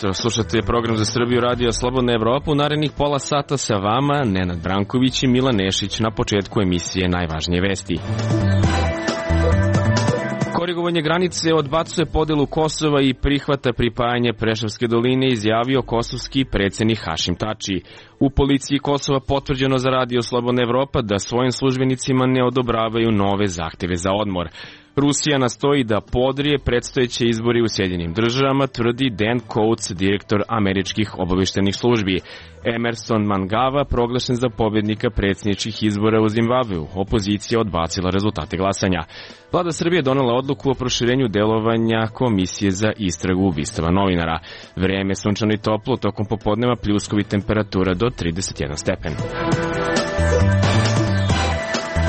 jutro. Slušate program za Srbiju Radio Slobodna Evropa. U narednih pola sata sa vama Nenad Branković i Milan Nešić. Na početku emisije najvažnije vesti. Korigovanje granice odbacuje podelu Kosova i prihvata pripajanje Preševske doline, izjavio kosovski predsednik Hašim Tači. U policiji Kosova potvrđeno za Radio Slobodna Evropa da svojim službenicima ne odobravaju nove zahteve za odmor. Rusija nastoji da podrije predstojeće izbori u Sjedinjenim državama, tvrdi Dan Coates, direktor američkih obaveštajnih službi. Emerson Mnangagwa proglašen za pobednika predsjedničkih izbora u Zimbabveu. Opozicija odbacila rezultate glasanja. Vlada Srbije donela odluku o proširenju delovanja Komisije za istragu ubistava novinara. Vreme sunčano i toplo, tokom popodneva pljuskovi temperatura do 31 stepen.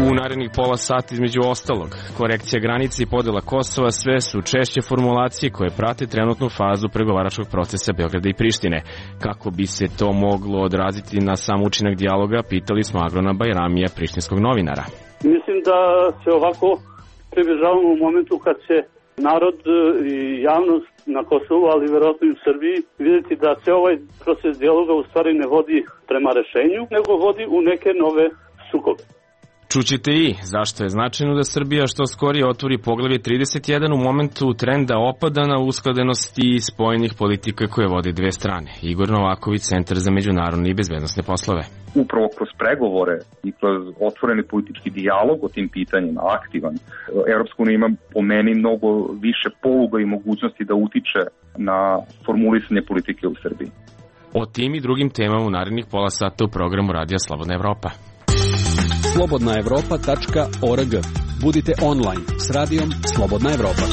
U narednih pola sata između ostalog, korekcija granice i podela Kosova sve su češće formulacije koje prate trenutnu fazu pregovaračkog procesa Beograda i Prištine. Kako bi se to moglo odraziti na sam učinak dijaloga, pitali smo Agrona Bajramija, prištinskog novinara. Mislim da se ovako približavamo u momentu kad će narod i javnost na Kosovu, ali verovatno i u Srbiji, vidjeti da se ovaj proces dijaloga u stvari ne vodi prema rešenju, nego vodi u neke nove sukobe. Čućete i zašto je značajno da Srbija što skorije otvori poglavlje 31 u momentu trenda opadana uskladenosti spojenih politika koje vode dve strane. Igor Novaković, Centar za međunarodne i bezbednosne poslove. Upravo kroz pregovore i kroz otvoreni politički dijalog o tim pitanjima, aktivan, Evropska unija ima po meni mnogo više poluga i mogućnosti da utiče na formulisanje politike u Srbiji. O tim i drugim temama u narednih pola sata u programu Radija Slobodna Evropa. slobodnaevropa.org. Budite online s radijom Slobodna Evropa.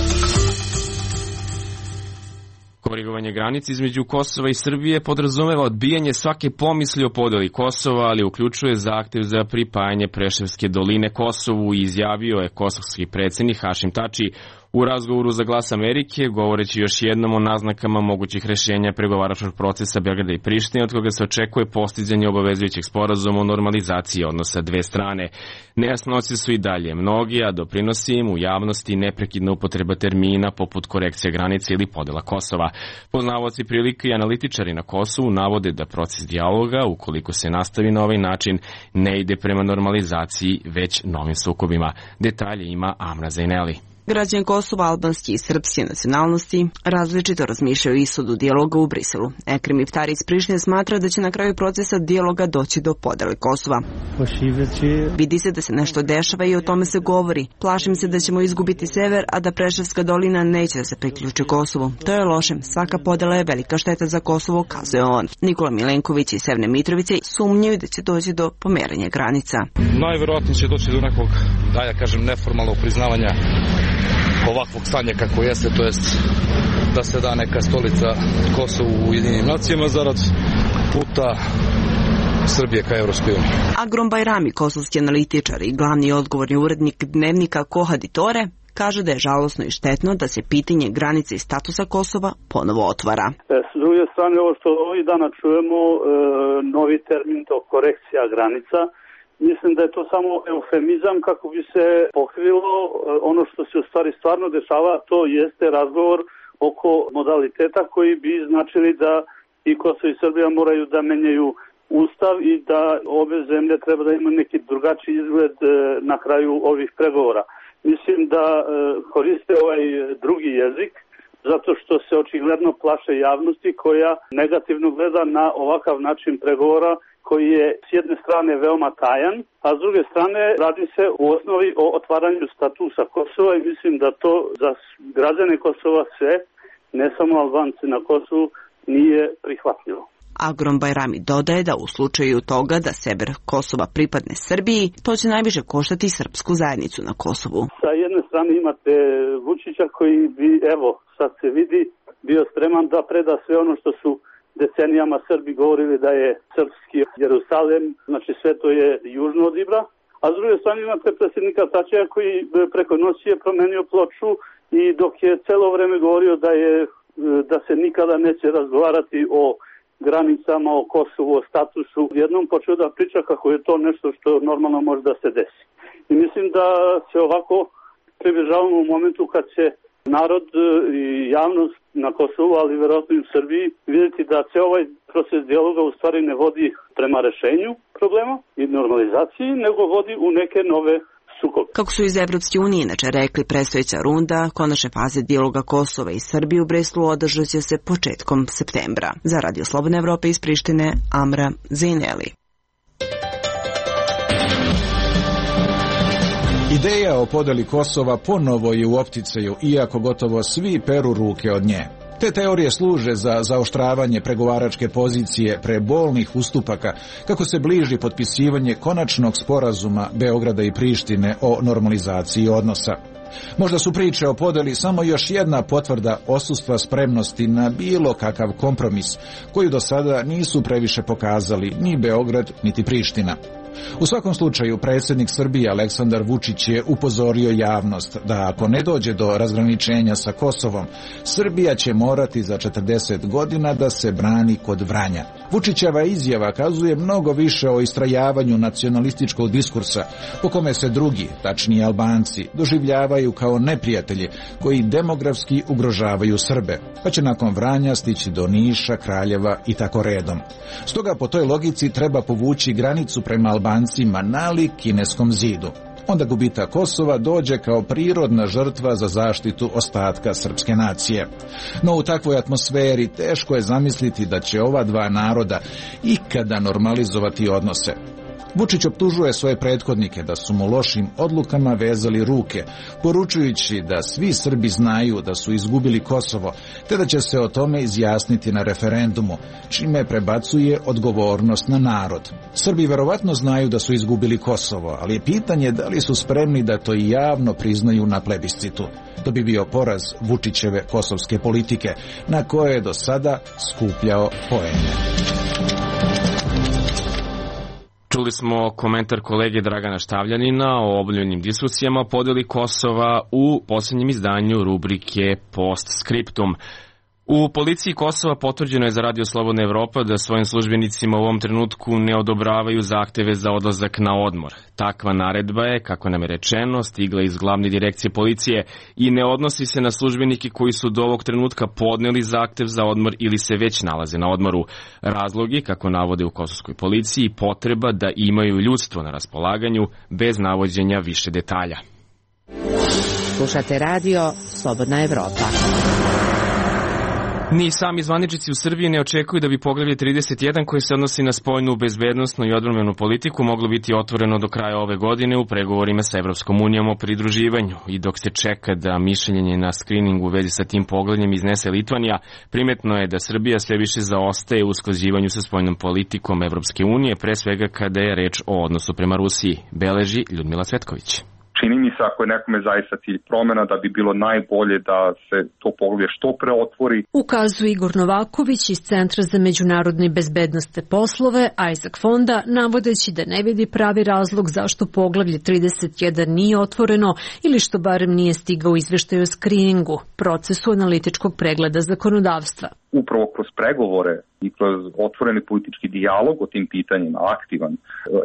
Korigovanje granice između Kosova i Srbije podrazumeva odbijanje svake pomisli o podeli Kosova, ali uključuje zahtev za pripajanje Preševske doline Kosovu, izjavio je kosovski predsednik Hašim Tači u razgovoru za Glas Amerike, govoreći još jednom o naznakama mogućih rešenja pregovaračkog procesa Beograda i Prištine, od koga se očekuje postizanje obavezujućeg sporazuma o normalizaciji odnosa dve strane. Nejasnoće su i dalje mnogi, a doprinosi im u javnosti neprekidna upotreba termina poput korekcija granice ili podela Kosova. Poznavaoci prilike i analitičari na Kosovu navode da proces dijaloga, ukoliko se nastavi na ovaj način, ne ide prema normalizaciji, već novim sukobima. Detalje ima Amra Zaineli. Građani Kosova, albanski i srpske nacionalnosti različito razmišljaju o ishodu dijaloga u Briselu. Ekrem Iftari iz Prištine smatra da će na kraju procesa dijaloga doći do podele Kosova. Vidi se da se nešto dešava i o tome se govori. Plašim se da ćemo izgubiti sever, a da Preševska dolina neće da se priključi Kosovu. To je loše. Svaka podela je velika šteta za Kosovo, kazuje on. Nikola Milenković iz Severne Mitrovice sumnjaju da će doći do pomeranja granica. Najverovatnije će doći do nekog, neformalnog priznavanja ovakvog stanja kako jeste, to jest da se da neka stolica Kosovu u Ujedinjenim nacijama zarad puta Srbije ka Evropskoj uniji. Agron Bajrami, kosovski analitičar i glavni odgovorni urednik dnevnika Kohaditore, kaže da je žalosno i štetno da se pitanje granice i statusa Kosova ponovo otvara. S druge strane, ovo što ovih dana čujemo, novi termin, to korekcija granica, mislim da je to samo eufemizam kako bi se pokrilo ono što se u stvari stvarno dešava, to jeste razgovor oko modaliteta koji bi značili da i Kosovo i Srbija moraju da menjaju ustav i da obe zemlje treba da imaju neki drugačiji izgled na kraju ovih pregovora. Mislim da koriste ovaj drugi jezik zato što se očigledno plaše javnosti koja negativno gleda na ovakav način pregovora koji je s jedne strane veoma tajan, a s druge strane radi se u osnovi o otvaranju statusa Kosova i mislim da to za građane Kosova sve, ne samo Albanci na Kosovu, nije prihvatljivo. Agron Bajrami dodaje da u slučaju toga da sever Kosova pripadne Srbiji, to će najviše koštati srpsku zajednicu na Kosovu. Sa jedne strane imate Vučića koji bi, sad se vidi, bio spreman da preda sve ono što su decenijama Srbi govorili da je srpski Jerusalem, znači sve to je južno od Ibra, a s druge strane imate predsjednika Tačija koji preko noći je promenio ploču i dok je celo vreme govorio da se nikada neće razgovarati o granicama, o Kosovu, o statusu, jednom počeo da priča kako je to nešto što normalno može da se desi. I mislim da se ovako približavamo u momentu kad će narod i javnost na Kosovu, ali verovatno i u Srbiji, vidjeti da se ovaj proces dijaloga u stvari ne vodi prema rešenju problema i normalizaciji, nego vodi u neke nove sukobe. Kako su iz Evropske unije inače rekli, predstojeća runda konačne faze dijaloga Kosova i Srbije u Briselu održat će se početkom septembra. Za Radio Slobodna Evropa iz Prištine, Amra Zejneli. Ideja o podeli Kosova ponovo je u opticaju, iako gotovo svi peru ruke od nje. Te teorije služe za zaoštravanje pregovaračke pozicije pre bolnih ustupaka, kako se bliži potpisivanje konačnog sporazuma Beograda i Prištine o normalizaciji odnosa. Možda su priče o podeli samo još jedna potvrda odsustva spremnosti na bilo kakav kompromis, koju do sada nisu previše pokazali ni Beograd, niti Priština. U svakom slučaju, predsjednik Srbije Aleksandar Vučić je upozorio javnost da ako ne dođe do razgraničenja sa Kosovom, Srbija će morati za 40 godina da se brani kod Vranja. Vučićeva izjava kazuje mnogo više o istrajavanju nacionalističkog diskursa, po kome se drugi, tačnije Albanci, doživljavaju kao neprijatelji koji demografski ugrožavaju Srbe, pa će nakon Vranja stići do Niša, Kraljeva i tako redom. Stoga po toj logici treba povući granicu prema Albancima nalik Kineskom zidu. Onda gubitak Kosova dođe kao prirodna žrtva za zaštitu ostatka srpske nacije. No u takvoj atmosferi teško je zamisliti da će ova dva naroda ikada normalizovati odnose. Vučić optužuje svoje prethodnike da su mu lošim odlukama vezali ruke, poručujući da svi Srbi znaju da su izgubili Kosovo, te da će se o tome izjasniti na referendumu, čime prebacuje odgovornost na narod. Srbi verovatno znaju da su izgubili Kosovo, ali je pitanje da li su spremni da to i javno priznaju na plebiscitu. To bi bio poraz Vučićeve kosovske politike, na koje je do sada skupljao poene. Čuli smo komentar kolege Dragana Štavljanina o obavljenim diskusijama o podeli Kosova u posljednjem izdanju rubrike Postscriptum. U policiji Kosova potvrđeno je za Radio Slobodna Evropa da svojim službenicima u ovom trenutku ne odobravaju zahteve za odlazak na odmor. Takva naredba je, kako nam je rečeno, stigla iz glavne direkcije policije i ne odnosi se na službenike koji su do ovog trenutka podneli zahtev za odmor ili se već nalaze na odmoru. Razlogi, kako navode u kosovskoj policiji, potreba da imaju ljudstvo na raspolaganju bez navođenja više detalja. Slušate Radio Slobodna Evropa. Ni sami zvaničnici u Srbiji ne očekuju da bi poglavlje 31 koje se odnosi na spoljnu, bezbednosnu i odbrambenu politiku moglo biti otvoreno do kraja ove godine u pregovorima sa Evropskom unijom o pridruživanju. I dok se čeka da mišljenje na skriningu u vezi sa tim poglavljem iznese Litvanija, primetno je da Srbija sve više zaostaje u usklađivanju sa spoljnom politikom Evropske unije, pre svega kada je reč o odnosu prema Rusiji, beleži Ljudmila Cvetković. Čini mi se, ako je nekome zaista cilj promjena, da bi bilo najbolje da se to poglavlje što pre otvori. Ukazuje Igor Novaković iz Centra za međunarodne i bezbednosne poslove Isaac Fonda, navodeći da ne vidi pravi razlog zašto poglavlje 31 nije otvoreno ili što barem nije stigao izveštaj o skriningu, procesu analitičkog pregleda zakonodavstva. Upravo kroz pregovore i kroz otvoreni politički dijalog o tim pitanjima, aktivan,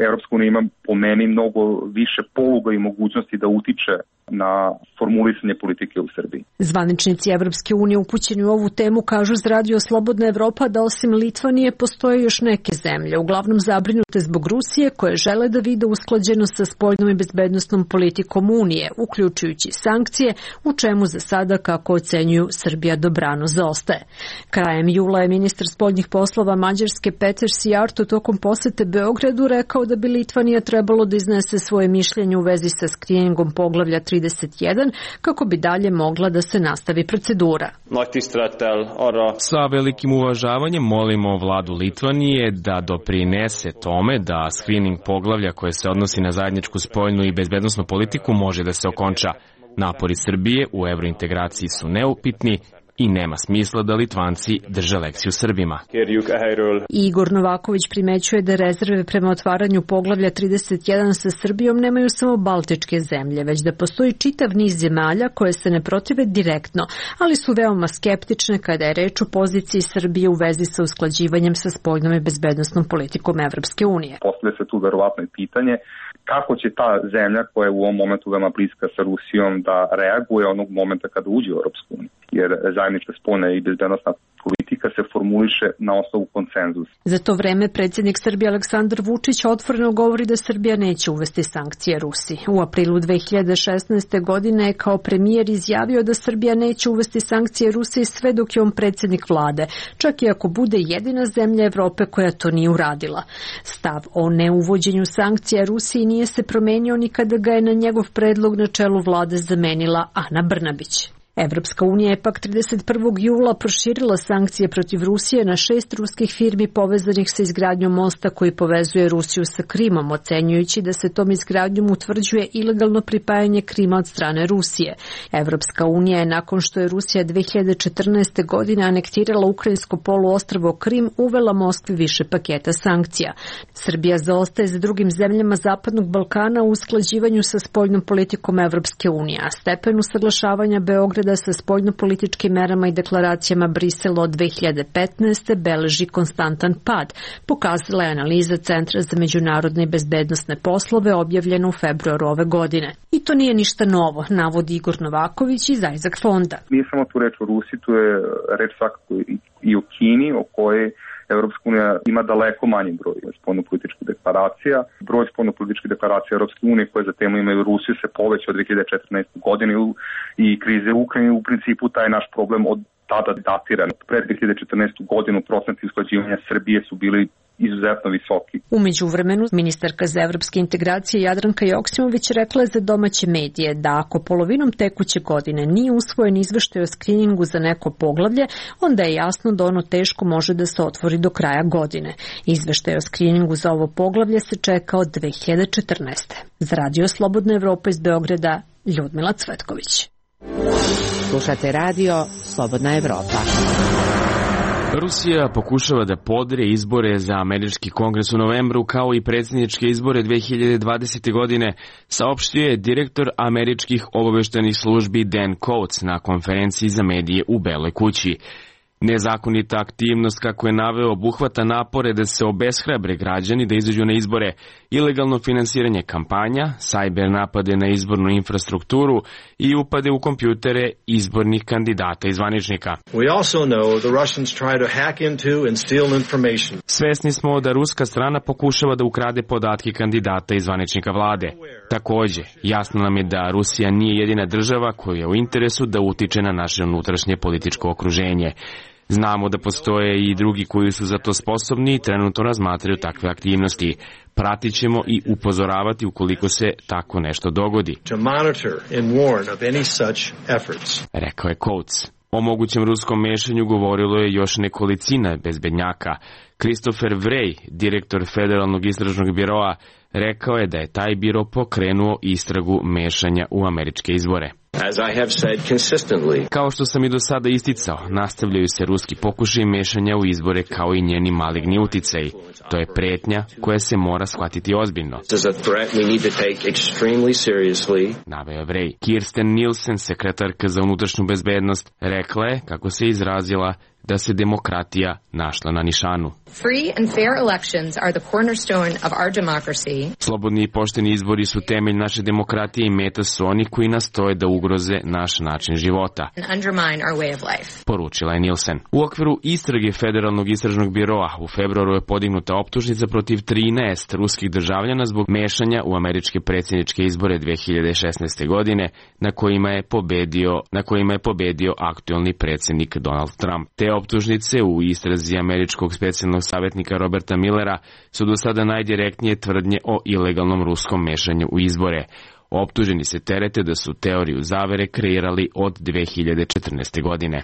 Evropska unija ima po meni mnogo više poluga i mogućnosti da utiče na formulisanje politike u Srbiji. Zvaničnici Evropske unije upućeni u ovu temu kažu za Radio Slobodna Evropa da osim Litvanije postoje još neke zemlje, uglavnom zabrinute zbog Rusije, koje žele da vide usklađenost sa spoljnom i bezbednosnom politikom Unije, uključujući sankcije, u čemu za sada, kako ocenjuju, Srbija dobrano zaostaje. Krajem jula je ministar spoljnih poslova Mađarske Peter Sijarto tokom posete Beogradu rekao da bi Litvanija trebalo da iznese svoje mišljenje u vezi sa skriningom poglavlja 31 kako bi dalje mogla da se nastavi procedura. Sa velikim uvažavanjem molimo vladu Litvanije da doprinese tome da skrining poglavlja koje se odnosi na zajedničku spoljnu i bezbednosnu politiku može da se okonča. Napori Srbije u evrointegraciji su neupitni i nema smisla da Litvanci drže lekciju Srbima. Igor Novaković primećuje da rezerve prema otvaranju poglavlja 31 sa Srbijom nemaju samo baltičke zemlje, već da postoji čitav niz zemalja koje se ne protive direktno, ali su veoma skeptične kada je reč o poziciji Srbije u vezi sa usklađivanjem sa spoljnom i bezbednosnom politikom Evropske unije. Postavlja se tu verovatno i pitanje kako će ta zemlja koja je u ovom momentu veoma bliska sa Rusijom da reaguje onog momenta kada uđe u Europsku uniju, jer zajednička spoljna i bezbednosna politika se formuliše na osnovu konsenzusa. Za to vreme predsjednik Srbije Aleksandar Vučić otvoreno govori da Srbija neće uvesti sankcije Rusiji. U aprilu 2016. godine je kao premijer izjavio da Srbija neće uvesti sankcije Rusiji sve dok je on predsjednik vlade, čak i ako bude jedina zemlja Evrope koja to nije uradila. Stav o neuvođenju sankcija Rusiji nije se promenio ni kada ga je na njegov predlog na čelu vlade zamenila Ana Brnabić. Evropska unija je pak 31. jula proširila sankcije protiv Rusije na 6 ruskih firmi povezanih sa izgradnjom mosta koji povezuje Rusiju sa Krimom, ocenjujući da se tom izgradnjom utvrđuje ilegalno pripajanje Krima od strane Rusije. Evropska unija je nakon što je Rusija 2014. godine anektirala ukrajinsko poluostrvo Krim uvela Moskvi više paketa sankcija. Srbija zaostaje za drugim zemljama Zapadnog Balkana u usklađivanju sa spoljnom politikom Evropske unije, a stepen usaglašavanja Beograda sa spoljnopolitičkim merama i deklaracijama Brisela od 2015. beleži konstantan pad, pokazala je analiza Centra za međunarodne i bezbednosne poslove objavljena u februaru ove godine. I to nije ništa novo, navodi Igor Novaković iz Isaac fonda. Nije samo tu reč o Rusiji, tu je reč svakako i o Kini, o kojoj Evropska unija ima daleko manji broj spoljnopolitičkih deklaracija. Broj spoljnopolitičkih deklaracija Evropske unije koje za temu imaju Rusiju se poveća od 2014. godine i krize u Ukrajini. U principu taj naš problem od tada datiran. Pred 2014. godinu procenti usklađivanja Srbije su bili izuzetno visoki. U međuvremenu, ministarka za evropske integracije Jadranka Joksimović rekla je za domaće medije da ako polovinom tekuće godine nije usvojen izveštaj o skriningu za neko poglavlje, onda je jasno da ono teško može da se otvori do kraja godine. Izveštaj o skriningu za ovo poglavlje se čeka od 2014. Za Radio Slobodna Evropa iz Beograda, Ljudmila Cvetković. Slušate radio Slobodna Evropa. Rusija pokušava da podre izbore za američki kongres u novembru kao i predsjedničke izbore 2020. godine, saopštio je direktor američkih obaveštajnih službi Dan Coats na konferenciji za medije u Beloj kući. Nezakonita aktivnost, kako je naveo, obuhvata napore da se obeshrabre građani da izađu na izbore, ilegalno finansiranje kampanja, sajber napade na izbornu infrastrukturu i upade u kompjutere izbornih kandidata i zvaničnika. Svesni smo da ruska strana pokušava da ukrade podatke kandidata i zvaničnika vlade. Takođe, jasno nam je da Rusija nije jedina država koja je u interesu da utiče na naše unutrašnje političko okruženje. Znamo da postoje i drugi koji su za to sposobni i trenutno razmatraju takve aktivnosti. Pratit ćemo i upozoravati ukoliko se tako nešto dogodi, rekao je Coats. O mogućem ruskom mešanju govorilo je još nekolicina bezbednjaka. Christopher Wray, direktor Federalnog istražnog biroa, rekao je da je taj biro pokrenuo istragu mešanja u američke izbore. Kao što sam i do sada isticao, nastavljaju se ruski pokušaji mešanja u izbore kao i njeni maligni uticaji. To je pretnja koja se mora shvatiti ozbiljno, naveo je Wray. Kirsten Nielsen, sekretarka za unutrašnju bezbednost, rekla je, kako se izrazila, da se demokratija našla na nišanu. Slobodni i pošteni izbori su temelj naše demokratije i meta su oni koji nastoje da ugroze naš način života, poručila je Nielsen. U okviru istrage Federalnog istražnog biroa u februaru je podignuta optužnica protiv 13 ruskih državljana zbog mešanja u američke predsjedničke izbore 2016. godine na kojima je pobedio aktuelni predsjednik Donald Trump. Te optužnice u istrazi američkog specijalnog savjetnika Roberta Millera su do sada najdirektnije tvrdnje o ilegalnom ruskom mešanju u izbore. Optuženi se terete da su teoriju zavere kreirali od 2014. godine.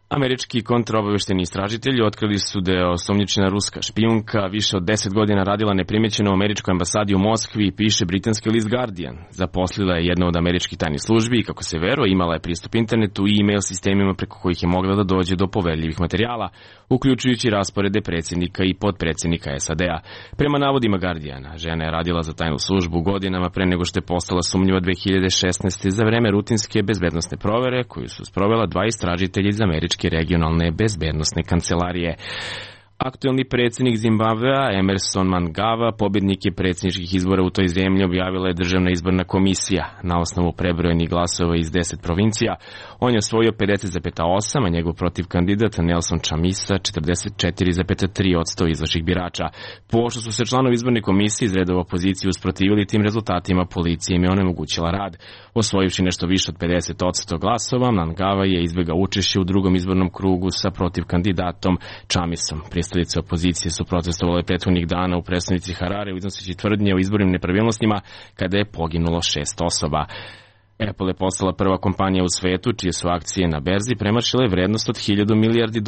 Američki kontraobaveštajni istražitelji otkrili su da je osumnjičena ruska špijunka više od 10 godina radila neprimećeno u američkoj ambasadi u Moskvi, piše britanski list Guardian. Zaposlila je jedna od američkih tajnih službi i, kako se veruje, imala je pristup internetu i e-mail sistemima preko kojih je mogla da dođe do poverljivih materijala, uključujući rasporede predsjednika i potpredsjednika SAD-a. Prema navodima Guardiana, žena je radila za tajnu službu godinama pre nego što je postala sumnjiva 2016. za vreme rutinske bezbednosne provere koju su sprovela 2 istražitelja iz američke regionalne bezbednosne kancelarije. Aktuelni predsjednik Zimbabvea, Emerson Mnangagwa, pobjednik je predsjedničkih izbora u toj zemlji, objavila je Državna izborna komisija. Na osnovu prebrojenih glasova iz 10 provincija, on je osvojio 50,8%, a njegov protivkandidat Nelson Chamisa 44,3% izašlih birača. Pošto su se članovi izborne komisije iz redova opozicije usprotivili tim rezultatima, policija im je onemogućila rad. Osvojivši nešto više od 50% glasova, Mnangagwa je izbjegao učešće u drugom izbornom krugu sa protivkandidatom Chamisom. Predstavnici opozicije su protestovali prethodnih dana u prestonici Harare iznoseći tvrdnje o izbornim nepravilnostima kada je poginulo 6 osoba. Apple je postala prva kompanija u svetu čije su akcije na berzi premašile vrednost od $1.000 milijardi.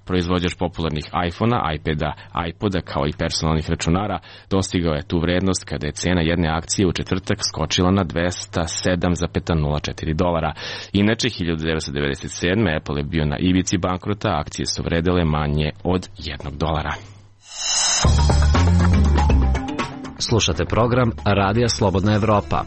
Proizvođač popularnih iPhone-a, iPada, iPoda kao i personalnih računara dostigao je tu vrednost kada je cena jedne akcije u četvrtak skočila na $207,04. Inače, 1997. Apple je bio na ivici bankrota, akcije su vredele manje od $1. Slušate program Radija Slobodna Evropa.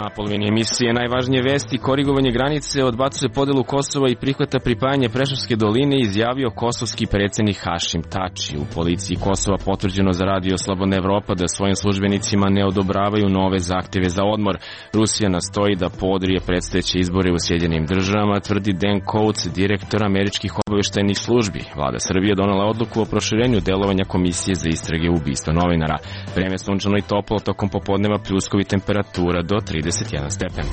Na polovini emisije najvažnije vesti: korigovanje granice, odbacuje podelu Kosova i prihvata pripajanje Preševske doline, izjavio kosovski predsjednik Hašim Tači. U policiji Kosova potvrđeno za Radio Slobodna Evropa da svojim službenicima ne odobravaju nove zahtjeve za odmor. Rusija nastoji da podrije predstojeće izbore u Sjedinjenim Državama, tvrdi Dan Coates, direktor američkih obavještajnih službi. Vlada Srbije donela odluku o proširenju delovanja Komisije za istrage ubistva novinara. Vreme sunčano i toplo, tokom popodneva pljuskovi, temperatura do 31 stepen.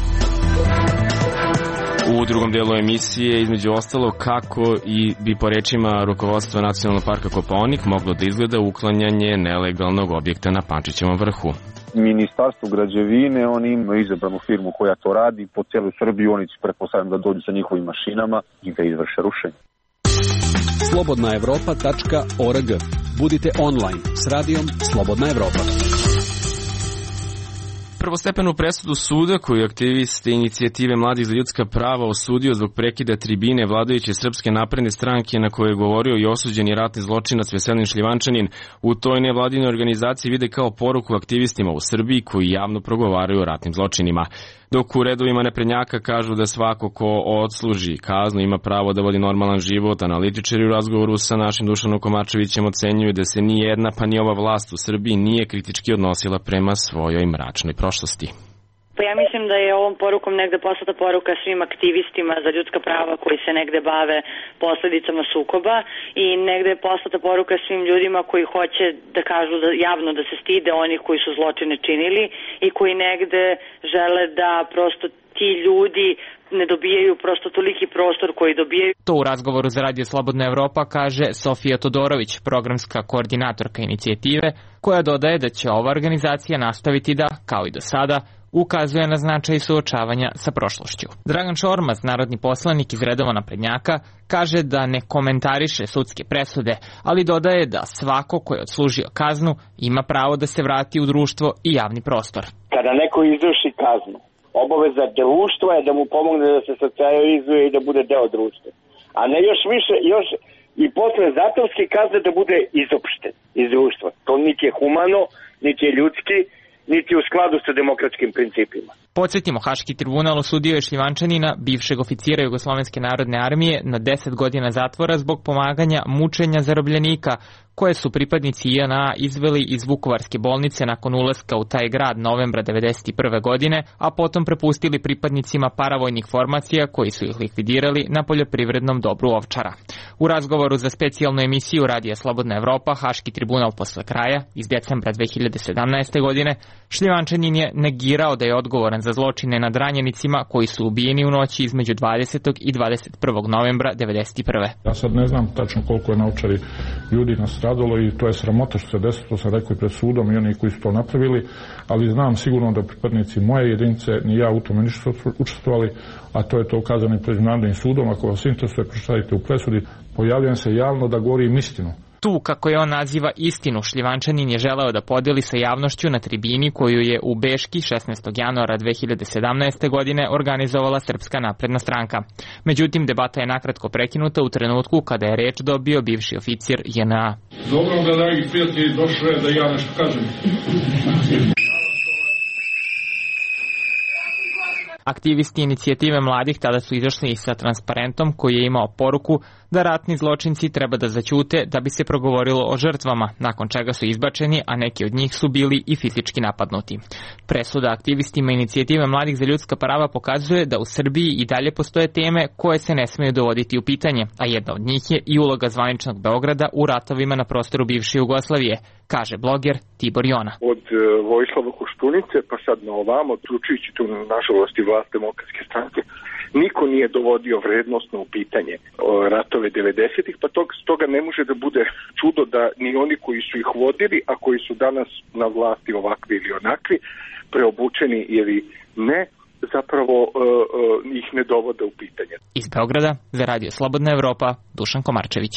U drugom delu emisije, između ostalo, kako i bi po rečima rukovodstva Nacionalnog parka Kopaonik moglo da izgleda uklanjanje nelegalnog objekta na Pančićevom vrhu. Ministarstvo građevine, oni imaju izabranu firmu koja to radi po cijeloj Srbiji, oni će pretpostavljam da dođu sa njihovim mašinama i da izvrše rušenje. slobodnaevropa.org. Budite online s radijom Slobodna Evropa. Prvostepenu presudu suda koju aktivisti inicijative Mladih za ljudska prava osudio zbog prekida tribine vladajuće Srpske napredne stranke na kojoj je govorio i osuđeni ratni zločinac Veselin Šljivančanin, u toj nevladinoj organizaciji vide kao poruku aktivistima u Srbiji koji javno progovaraju o ratnim zločinima. Dok u redovima naprednjaka kažu da svako ko odsluži kaznu ima pravo da vodi normalan život, analitičari u razgovoru sa našim Dušanom Komarčevićem ocenjuju da se ni jedna pa ni ova vlast u Srbiji nije kritički odnosila prema svojoj mračnoj prošlosti. Pa ja mislim da je ovom porukom negde poslata poruka svim aktivistima za ljudska prava koji se negde bave posledicama sukoba i negde je poslata poruka svim ljudima koji hoće da kažu da javno da se stide onih koji su zločine činili i koji negde žele da prosto ti ljudi ne dobijaju prosto toliki prostor koji dobijaju. To u razgovoru za Radio Slobodna Evropa kaže Sofija Todorović, programska koordinatorka inicijative, koja dodaje da će ova organizacija nastaviti da, kao i do sada, ukazuje na značaj suočavanja sa prošlošću. Dragan Šormaz, narodni poslanik iz redova naprednjaka, kaže da ne komentariše sudske presude, ali dodaje da svako ko je odslužio kaznu ima pravo da se vrati u društvo i javni prostor. Kada neko izvrši kaznu, obaveza društva je da mu pomogne da se socijalizuje i da bude deo društva. A ne još više, još i posle zatvorske kazne da bude izopšten iz društva. To niti je humano, niti je ljudski, niti u skladu sa demokratskim principima. Podsjetimo, Haški tribunal osudio je Šljivančanina, bivšeg oficira Jugoslovenske narodne armije, na 10 godina zatvora zbog pomaganja mučenja zarobljenika, koje su pripadnici JNA izveli iz Vukovarske bolnice nakon ulaska u taj grad novembra 1991. godine, a potom prepustili pripadnicima paravojnih formacija koji su ih likvidirali na poljoprivrednom dobru Ovčara. U razgovoru za specijalnu emisiju Radija Slobodna Evropa, Haški tribunal posle kraja, iz decembra 2017. godine, Šljivančanin je negirao da je odgovoran za zločine nad ranjenicima koji su ubijeni u noći između 20. i 21. novembra 1991. Ja sad ne znam tačno koliko je na Ovčari ljudi nastradalo i to je sramota što se desilo, to sam rekao i pred sudom i oni koji su to napravili, ali znam sigurno da pripadnici moje jedinice ni ja u tome nisu učestvovali, a to je to ukazano i pred Međunarodnim sudom. Ako vas interesuje, pročitajte u presudi. Pojavljujem se javno da govorim istinu. Tu, kako je on naziva istinu, Šljivančanin je želeo da podeli sa javnošću na tribini koju je u Beški 16. januara 2017. godine organizovala Srpska napredna stranka. Međutim, debata je nakratko prekinuta u trenutku kada je reč dobio bivši oficir JNA. Dobro da, dragi prijatelji, došlo je da ja nešto kažem. Aktivisti inicijative mladih tada su izašli sa transparentom koji je imao poruku da ratni zločinci treba da zaćute da bi se progovorilo o žrtvama, nakon čega su izbačeni, a neki od njih su bili i fizički napadnuti. Presuda aktivistima inicijative mladih za ljudska prava pokazuje da u Srbiji i dalje postoje teme koje se ne smeju dovoditi u pitanje, a jedna od njih je i uloga zvaničnog Beograda u ratovima na prostoru bivše Jugoslavije, kaže bloger Tibor Jona. Od Vojislava Koštunice pa sad na ovamo, uključujući tu nažalost i vlast Demokratske stranke, niko nije dovodio vrednostno u pitanje ratove 90-ih, pa stoga ne može da bude čudo da ni oni koji su ih vodili, a koji su danas na vlasti ovakvi ili onakvi, preobučeni ili ne, zapravo ih ne dovode u pitanje. Iz Beograda za Radio Slobodna Evropa, Dušan Komarčević.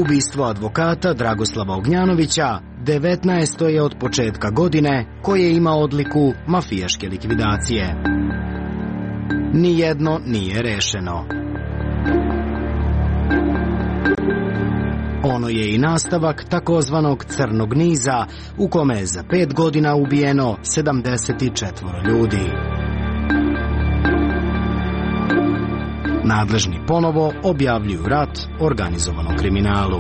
Ubistvo advokata Dragoslava Ognjanovića 19. je od početka godine koje ima odliku mafijaške likvidacije. Nijedno nije rešeno. Ono je i nastavak takozvanog crnog niza u kome je za 5 godina ubijeno 74 ljudi. Nadležni ponovo objavljuju rat organizovanom kriminalu.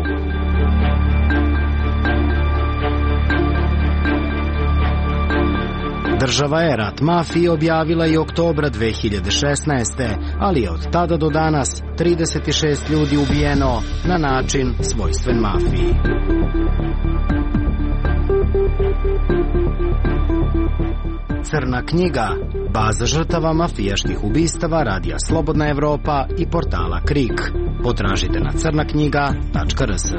Država je rat mafiji objavila i oktobra 2016. ali je od tada do danas 36 ljudi ubijeno na način svojstven mafiji. Crna knjiga, baza žrtava mafijaških ubistava Radija Slobodna Evropa i portala KRIK. Potražite na crnaknjiga.rs.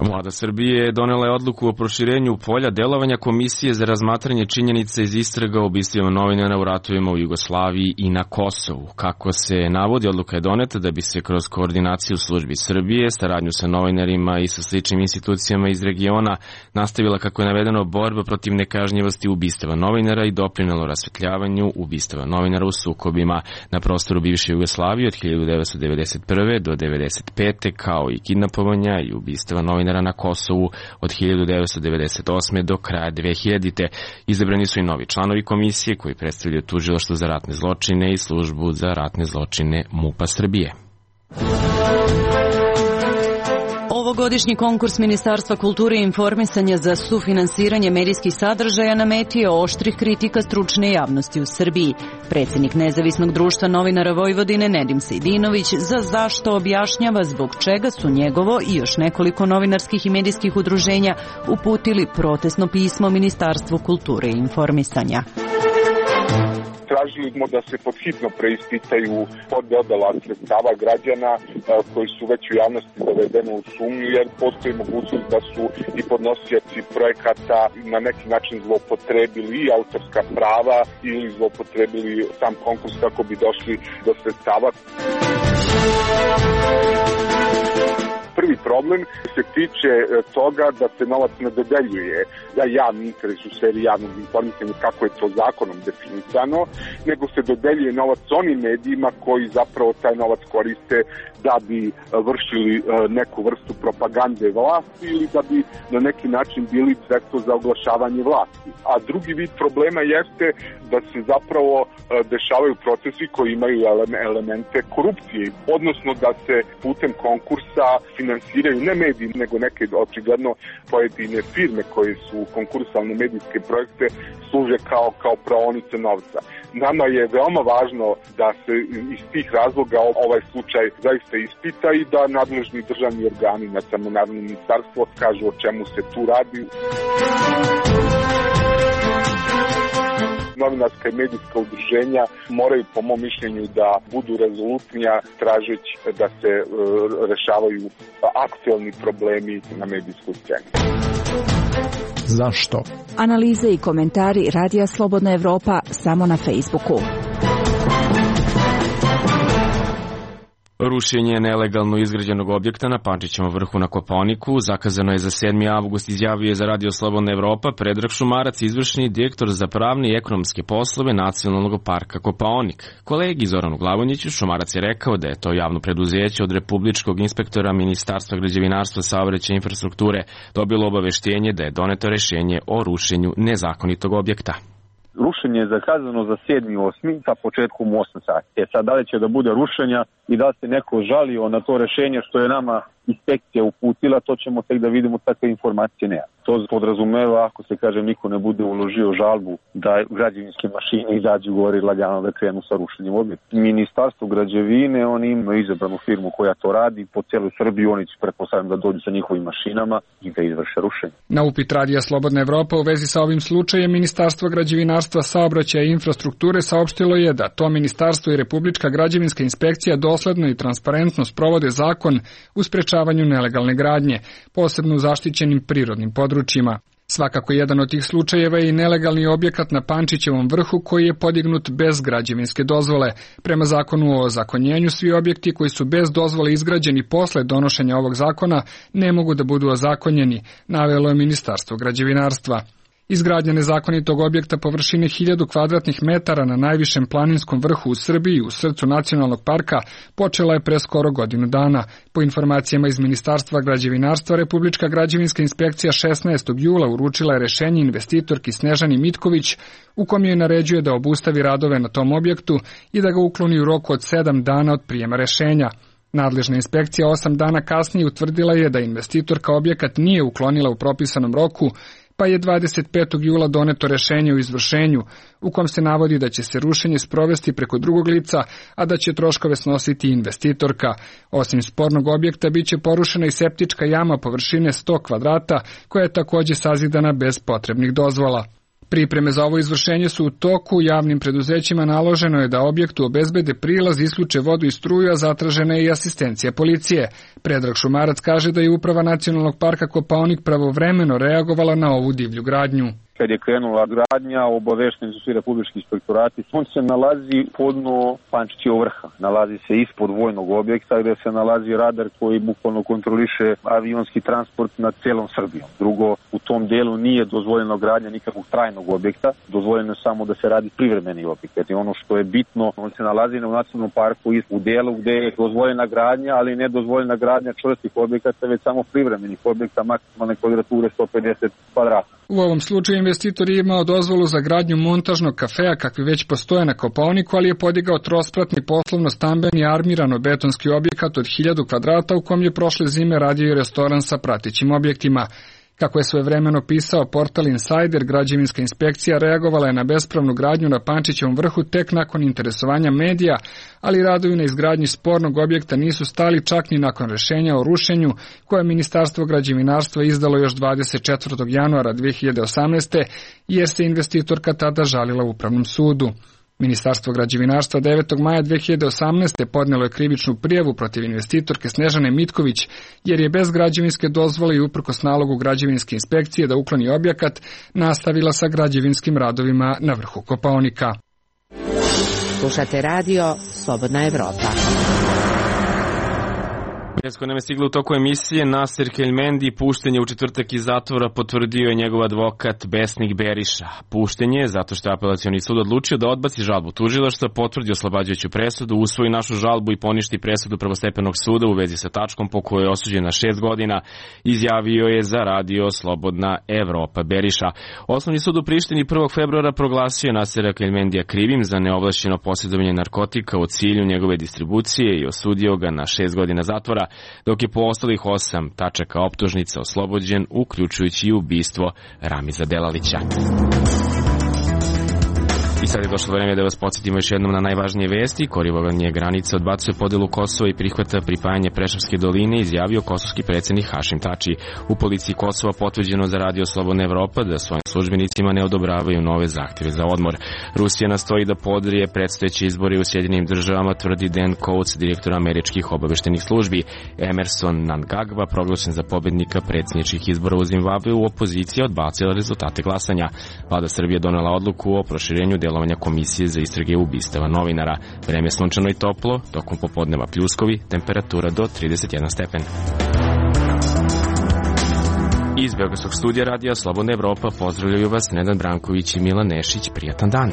Vlada Srbije donela je odluku o proširenju polja delovanja Komisije za razmatranje činjenica iz istraga o ubistvima novinara u ratovima u Jugoslaviji i na Kosovu. Kako se navodi, odluka je doneta da bi se kroz koordinaciju službi Srbije, saradnju sa novinarima i sa sličnim institucijama iz regiona nastavila, kako je navedeno, borba protiv nekažnjivosti ubistava novinara i doprinelo rasvetljavanju ubistava novinara u sukobima na prostoru bivše Jugoslavije od 1991. do 1995. kao i kidnapovanja i ubistava novinara na Kosovu od 1998. do kraja 2000. Izabrani su i novi članovi komisije koji predstavljaju Tužilaštvo za ratne zločine i Službu za ratne zločine MUP-a Srbije. Ovogodišnji konkurs Ministarstva kulture i informisanja za sufinansiranje medijskih sadržaja na meti je oštrih kritika stručne javnosti u Srbiji. Predsjednik Nezavisnog društva novinara Vojvodine Nedim Sejdinović za zašto objašnjava zbog čega su njegovo i još nekoliko novinarskih i medijskih udruženja uputili protestno pismo Ministarstvu kulture i informisanja. Tražili smo da se podhitno preispitaju pododala sredstava građana koji su već u javnosti dovedeni u sumnju, jer postoji mogućnost da su i podnosioci projekata na neki način zloupotrebili i autorska prava ili zloupotrebili sam konkurs kako bi došli do sredstava. Prvi problem se tiče toga da se novac ne dodeljuje za javni interes u sferi javnog informisanja kako je to zakonom definisano, nego se dodeljuje novac onim medijima koji zapravo taj novac koriste da bi vršili neku vrstu propagande vlasti ili da bi na neki način bili sredstvo za oglašavanje vlasti. A drugi vid problema jeste da se zapravo dešavaju procesi koji imaju elemente korupcije, odnosno da se putem konkursa finansiraju finansiraju ne mediji, nego neke očigledno pojedine firme koje su konkursale na medijske projekte služe kao praonice novca. Nama je veoma važno da se iz tih razloga ovaj slučaj zaista ispita i da nadležni državni organi, na samo Narodno ministarstvo, kažu o čemu se tu radi. Novinarska i medijska udruženja moraju, po mom mišljenju, da budu rezolutnija tražeći da se rešavaju aktuelni problemi na medijskoj sceni. Zašto? Analize i komentari Radija Slobodna Evropa samo na Facebooku. Rušenje nelegalno izgrađenog objekta na Pančićevom vrhu na Kopaoniku zakazano je za 7. avgust, izjavio je za Radio Slobodna Evropa Predrag Šumarac, izvršni direktor za pravne i ekonomske poslove Nacionalnog parka Kopaonik. Kolegi Zoranu Glavonjiću Šumarac je rekao da je to javno preduzeće od Republičkog inspektora Ministarstva građevinarstva, saobraćaja i infrastrukture dobilo obaveštenje da je doneto rešenje o rušenju nezakonitog objekta. Rušenje je zakazano za 7.8. sa početkom 8 sati. Sad, da li će da bude rušenja i da se neko žalio na to rešenje što je nama inspekcija uputila, to ćemo tek da vidimo, takve informacije nema. To podrazumeva, ako se kaže niko ne bude uložio žalbu, da građevinske mašine izađu gore i lagano da krenu sa rušenjem objekta. Ministarstvo građevine, oni imaju izabranu firmu koja to radi po celoj Srbiji, oni će pretpostavljam da dođu sa njihovim mašinama i da izvrše rušenje. Na upit Radija Slobodna Evropa u vezi sa ovim slučajem, Ministarstvo građevinarstva, saobraćaja i infrastrukture saopštilo je da to ministarstvo i Republička građevinska inspekcija dosledno i transparentno sprovode zakon u sprečavanju nelegalne gradnje, posebno u zaštićenim prirodnim područjima. Svakako jedan od tih slučajeva je i nelegalni objekat na Pančićevom vrhu koji je podignut bez građevinske dozvole. Prema zakonu o ozakonjenju, svi objekti koji su bez dozvole izgrađeni posle donošenja ovog zakona ne mogu da budu ozakonjeni, navelo je Ministarstvo građevinarstva. Izgradnja nezakonitog objekta površine 1000 kvadratnih metara na najvišem planinskom vrhu u Srbiji, u srcu nacionalnog parka, počela je pre skoro godinu dana. Po informacijama iz Ministarstva građevinarstva, Republička građevinska inspekcija 16. jula uručila je rešenje investitorki Snežani Mitković, u kom joj naređuje da obustavi radove na tom objektu i da ga ukloni u roku od 7 dana od prijema rešenja. Nadležna inspekcija 8 dana kasnije utvrdila je da investitorka objekat nije uklonila u propisanom roku, pa je 25. jula doneto rešenje o izvršenju, u kom se navodi da će se rušenje sprovesti preko drugog lica, a da će troškove snositi investitorka. Osim spornog objekta, biće porušena i septička jama površine 100 kvadrata, koja je takođe sazidana bez potrebnih dozvola. Pripreme za ovo izvršenje su u toku, javnim preduzećima naloženo je da objektu obezbede prilaz, isključe vodu i struju, a zatražena je i asistencija policije. Predrag Šumarac kaže da je Uprava Nacionalnog parka Kopaonik pravovremeno reagovala na ovu divlju gradnju. Kad je krenula gradnja, obavešteni su svi republički inspektorati. On se nalazi podno Pančićevog vrha. Nalazi se ispod vojnog objekta gde se nalazi radar koji bukvalno kontroliše avionski transport nad celom Srbijom. Drugo, u tom delu nije dozvoljeno gradnja nikakvog trajnog objekta. Dozvoljeno je samo da se radi privremeni objekat. I ono što je bitno, on se nalazi na nacionalnom parku u delu gde je dozvoljena gradnja, ali ne dozvoljena gradnja čvrstih objekata, već samo privremenih objekta maksimalne kvadrature 150 kvadrata. U ovom slučaju investitor je imao dozvolu za gradnju montažnog kafea kakvi već postoje na Kopaoniku, ali je podigao trospratni poslovno-stambeni armirano-betonski objekat od 1000 kvadrata u kom je prošle zime radio i restoran sa pratećim objektima. Kako je svojevremeno pisao portal Insider, građevinska inspekcija reagovala je na bespravnu gradnju na Pančićevom vrhu tek nakon interesovanja medija, ali radovi na izgradnji spornog objekta nisu stali čak ni nakon rešenja o rušenju koje je Ministarstvo građevinarstva izdalo još 24. januara 2018. jer se investitorka tada žalila Upravnom sudu. Ministarstvo građevinarstva 9. maja 2018. podnelo je krivičnu prijavu protiv investitorke Snežane Mitković, jer je bez građevinske dozvole i uprkos nalogu građevinske inspekcije da ukloni objekat, nastavila sa građevinskim radovima na vrhu Kopaonika. Slušate radio Slobodna Evropa. Vijest koja nam je stigla u toku emisije, Nasser Kelmendi pušten je u četvrtak iz zatvora, potvrdio je njegov advokat Besnik Beriša. Pušten je zato što je apelacioni sud odlučio da odbaci žalbu tužilaštva, potvrdi oslobađajuću presudu, usvoji našu žalbu i poništi presudu prvostepenog suda u vezi sa tačkom po kojoj je osuđen na 6 godina, izjavio je za radio Slobodna Evropa Beriša. Osnovni sud u Prištini 1. februara proglasio je Nassera Kelmendija krivim za neovlašćeno posjedovanje narkotika u cilju njegove distribucije i osudio ga na 6 godina zatvora. suda, dok je po ostalih 8 tačaka optužnica oslobođen, uključujući i ubistvo Ramiza Delalića. I sad je došlo vreme da vas podsjetimo još jednom na najvažnije vesti. Korigovanje granica odbacuje podelu Kosova i prihvata pripajanje Preševske doline, izjavio kosovski predsjednik Hašim Tači. U policiji Kosova potvrđeno za Radio Slobodna Evropa da svojim službenicima ne odobravaju nove zahtjeve za odmor. Rusija nastoji da podrije predstojeće izbore u Sjedinjenim državama, tvrdi Dan Coates, direktor američkih obaveštenih službi. Emerson Mnangagwa, proglašen za pobednika predsjedničkih izbora u Zimbabveu, opozicija odbacila rezultate glasanja. Vlada Srbije donela odluku o proširenju delovanja Komisije za istrage ubistava novinara. Vreme je sunčano i toplo, tokom popodneva pljuskovi, temperatura do 31 stepen. Iz Beogradskog studija Radija Slobodna Evropa pozdravljaju vas Nenad Branković i Milan Nešić. Prijatan dan.